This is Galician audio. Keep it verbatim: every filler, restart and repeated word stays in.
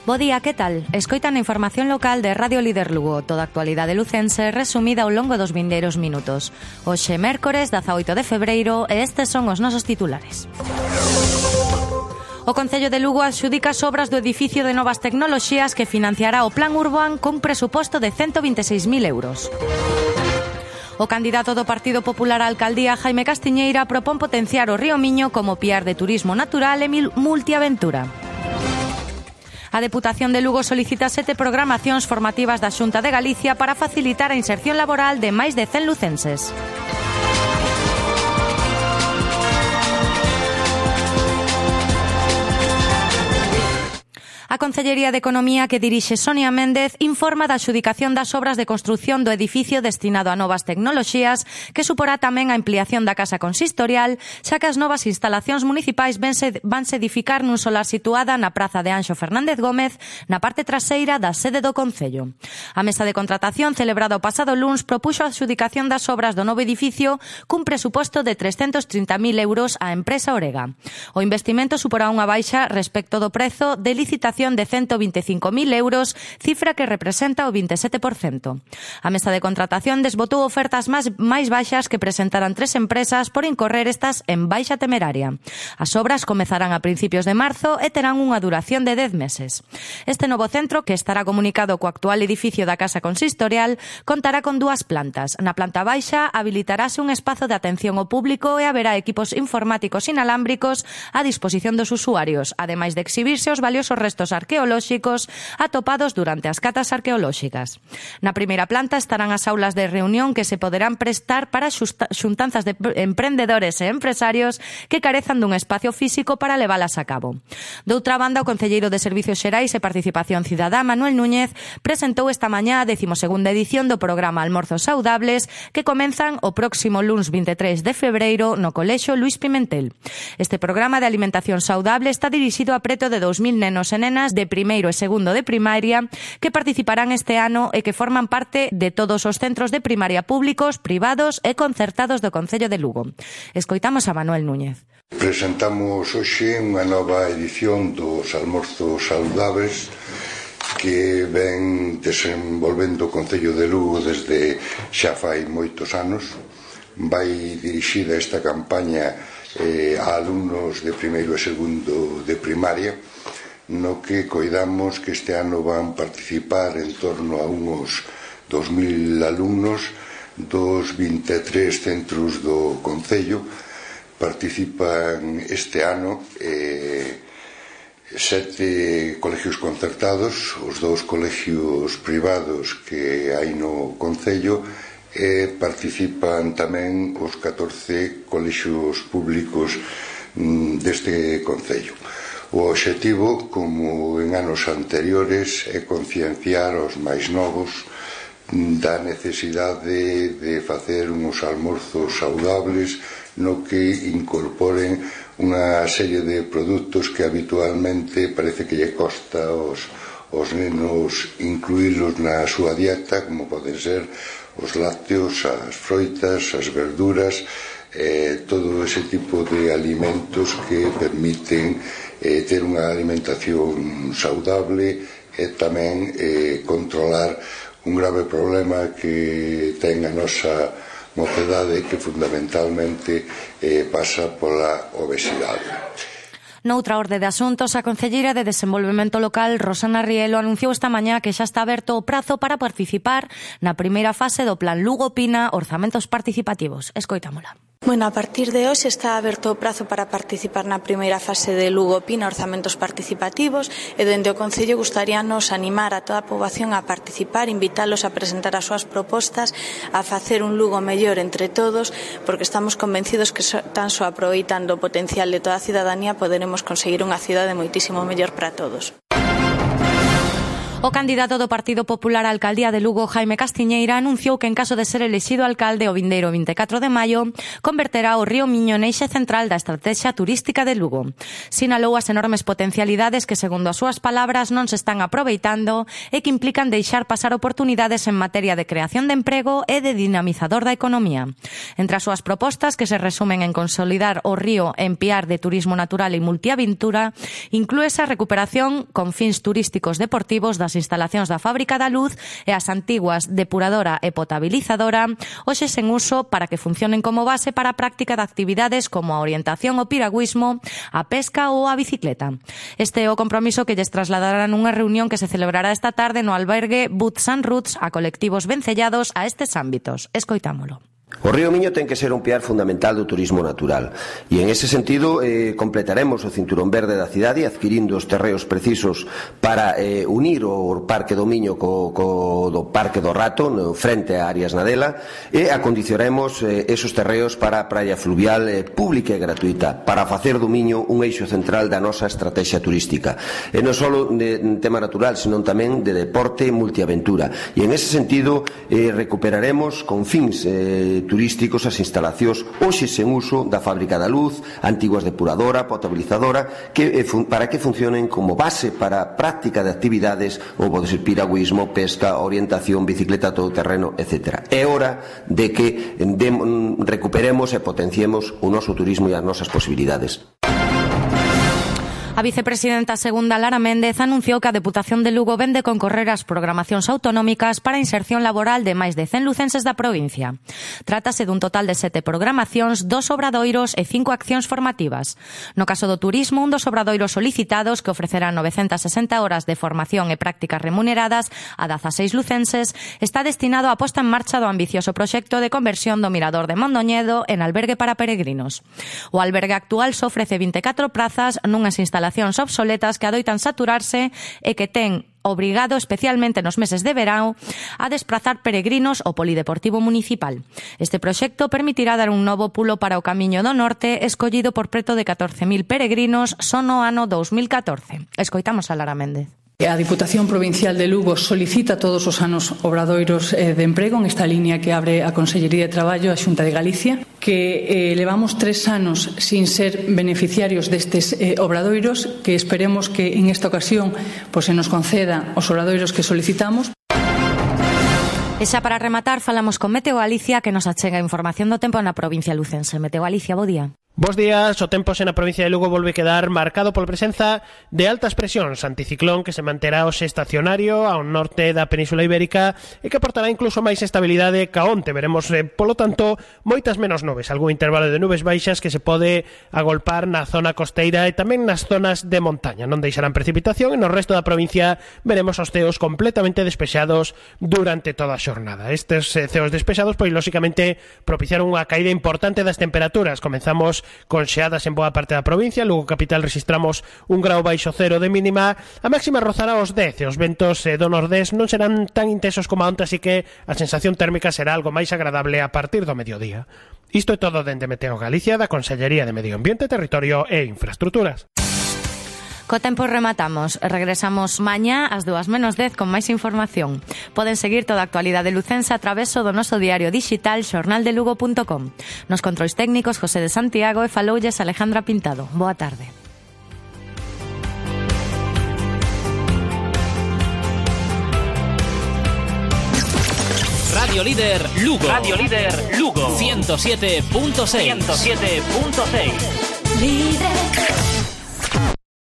Bo día, que tal? Escoitan a información local de Radio Líder Lugo, toda a actualidade lucense resumida ao longo dos vindeiros minutos. Hoxe, mércores, dezaoito de febreiro, e estes son os nosos titulares. O Concello de Lugo adxudica as obras do edificio de novas tecnoloxías que financiará o Plan Urban cun presuposto de ciento veintiséis mil euros. O candidato do Partido Popular á alcaldía, Jaime Castiñeira, propón potenciar o Río Miño como piar de turismo natural e multiaventura. A Deputación de Lugo solicita sete programacións formativas da Xunta de Galicia para facilitar a inserción laboral de máis de cen lucenses. A Concellería de Economía, que dirixe Sonia Méndez, informa da adxudicación das obras de construción do edificio destinado a novas tecnoloxías, que suporá tamén a ampliación da casa consistorial, xa que as novas instalacións municipais vanse, vanse edificar nun solar situada na praza de Anxo Fernández Gómez, na parte traseira da sede do Concello. A mesa de contratación, celebrada o pasado luns, propuxo a adxudicación das obras do novo edificio cun presuposto de trescentos trinta mil euros á empresa Orega. O investimento suporá unha baixa respecto do prezo de licitación de ciento veinticinco mil euros, cifra que representa o veintisiete por cento. A mesa de contratación desbotou ofertas máis, máis baixas que presentaran tres empresas por incorrer estas en baixa temeraria. As obras comezarán a principios de marzo e terán unha duración de dez meses. Este novo centro, que estará comunicado co actual edificio da Casa Consistorial, contará con dúas plantas. Na planta baixa habilitarase un espazo de atención ao público e haberá equipos informáticos inalámbricos a disposición dos usuarios, ademais de exhibirse os valiosos restos arqueolóxicos atopados durante as catas arqueolóxicas. Na primeira planta estarán as aulas de reunión que se poderán prestar para xuntanzas de emprendedores e empresarios que carezan dun espacio físico para levalas a cabo. Doutra banda, o concelleiro de Servicios Xerais e Participación Cidadá, Manuel Núñez, presentou esta mañá a decimosegunda edición do programa Almorzos Saudables, que comenzan o próximo luns veintitrés de febreiro no Colexio Luís Pimentel. Este programa de alimentación saudable está dirixido a preto de dous mil nenos e nenas de primeiro e segundo de primaria que participarán este ano e que forman parte de todos os centros de primaria públicos, privados e concertados do Concello de Lugo. Escoitamos a Manuel Núñez. Presentamos hoxe unha nova edición dos Almorzos Saudables que ven desenvolvendo o Concello de Lugo desde xa fai moitos anos. Vai dirixida esta campaña eh, a alumnos de primeiro e segundo de primaria, no que coidamos que este ano van participar en torno a uns dos mil alumnos dos vinte e tres centros do Concello. Participan este ano eh, sete colegios concertados, os dous colegios privados que hai no Concello, e participan tamén os catorce colexios públicos mm, deste Concello. O obxectivo, como en anos anteriores, é concienciar os máis novos da necesidade de facer uns almorzos saudables no que incorporen unha serie de produtos que habitualmente parece que lle costa aos, aos nenos incluílos na súa dieta, como poden ser os lácteos, as froitas, as verduras, eh, todo ese tipo de alimentos que permiten eh, ter unha alimentación saudable e tamén eh, controlar un grave problema que ten a nosa mocedade, que fundamentalmente eh, pasa pola obesidade. Noutra orde de asuntos, a concelleira de Desenvolvemento Local, Rosana Rielo, anunciou esta mañá que xa está aberto o prazo para participar na primeira fase do Plan Lugo Pina Orzamentos Participativos. Escoitámola. Bueno, a partir de hoxe está aberto o prazo para participar na primeira fase de Lugo Pina Orzamentos Participativos e dende o Concello gustaríanos animar a toda a poboación a participar, invitalos a presentar as súas propostas, a facer un Lugo mellor entre todos, porque estamos convencidos que tan só aproveitando o potencial de toda a cidadanía poderemos conseguir unha cidade moitísimo mellor para todos. O candidato do Partido Popular á alcaldía de Lugo, Jaime Castiñeira, anunciou que en caso de ser elixido alcalde o vindeiro vinte e catro de maio, converterá o Río Miño en eixe central da estrategia turística de Lugo. Sinalou as enormes potencialidades que, segundo as súas palabras, non se están aproveitando e que implican deixar pasar oportunidades en materia de creación de emprego e de dinamizador da economía. Entre as súas propostas, que se resumen en consolidar o río en piar de turismo natural e multiaventura, inclúese a recuperación con fins turísticos deportivos das as instalacións da Fábrica da Luz e as antiguas depuradora e potabilizadora, hoxe sen uso para que funcionen como base para a práctica de actividades como a orientación ao piragüismo, a pesca ou a bicicleta. Este é o compromiso que lles trasladarán nunha reunión que se celebrará esta tarde no albergue Boots and Roots a colectivos vencellados a estes ámbitos. Escoitámolo. O Río Miño ten que ser un piar fundamental do turismo natural e en ese sentido eh, completaremos o cinturón verde da cidade adquirindo os terreos precisos para eh, unir o Parque do Miño co, co do Parque do Rato no, frente a Arias Nadela e acondicionaremos eh, esos terreos para a praia fluvial eh, pública e gratuita para facer do Miño un eixo central da nosa estrategia turística e non só de tema natural senón tamén de deporte e multiaventura e en ese sentido eh, recuperaremos con fins eh, turísticos as instalacións hoxe sen uso da Fábrica da Luz, antiguas depuradora, potabilizadora, que, eh, para que funcionen como base para a práctica de actividades ou pode ser piragüismo, pesca, orientación, bicicleta todoterreno, etcétera. É hora de que de, recuperemos e potenciemos o noso turismo e as nosas posibilidades. A vicepresidenta segunda Lara Méndez anunciou que a Deputación de Lugo vende concorrer ás programacións autonómicas para a inserción laboral de máis de cen lucenses da provincia. Trátase dun total de sete programacións, dos obradoiros e cinco accións formativas. No caso do turismo, un dos obradoiros solicitados, que ofrecerá novecentas sesenta horas de formación e prácticas remuneradas a dezaseis lucenses, está destinado á posta en marcha do ambicioso proxecto de conversión do Mirador de Mondoñedo en albergue para peregrinos. O albergue actual só ofrece vinte e catro prazas nunhas instalacións obsoletas que adoitan saturarse e que ten obrigado, especialmente nos meses de verão, a desprazar peregrinos ao polideportivo municipal. Este proxecto permitirá dar un novo pulo para o Camiño do Norte, escollido por preto de catorce mil peregrinos só no ano dous mil catorce. Escoitamos a Lara Méndez. A Diputación Provincial de Lugo solicita todos os anos obradoiros de emprego en esta línea que abre a Consellería de Traballo a Xunta de Galicia, que eh, levamos tres anos sin ser beneficiarios destes eh, obradoiros, que esperemos que en esta ocasión pues, se nos conceda os obradoiros que solicitamos. E xa para rematar, falamos con Meteo Galicia, que nos achega información do tempo na provincia lucense. Meteo Galicia, bo día. Bos días, o tempo na provincia de Lugo volve quedar marcado pola presenza de altas presións, anticiclón que se manterá hoxe estacionario ao norte da Península Ibérica e que aportará incluso máis estabilidade ca onte. Veremos, eh, polo tanto, moitas menos nubes, algún intervalo de nubes baixas que se pode agolpar na zona costeira e tamén nas zonas de montaña. Non deixarán precipitación e no resto da provincia veremos os ceos completamente despexados durante toda a xornada. Estes eh, ceos despexados, pois, lóxicamente, propiciaron unha caída importante das temperaturas. Comenzamos con xeadas en boa parte da provincia, Lugo capital registramos un grau baixo cero de mínima, a máxima rozará os dez e os ventos eh, do nordés non serán tan intensos como onte, así que a sensación térmica será algo máis agradable a partir do mediodía. Isto é todo dende Meteo Galicia, da Consellería de Medio Ambiente, Territorio e Infraestructuras. Co tempo rematamos. Regresamos mañá ás dúas menos dez con máis información. Poden seguir toda a actualidade lucense a traveso do noso diario digital xornal de lugo punto com. Nos controis técnicos José de Santiago e faloulles Alejandra Pintado. Boa tarde. Radio Líder Lugo. Radio Líder Lugo. ciento siete punto seis. ciento siete punto seis. Líder.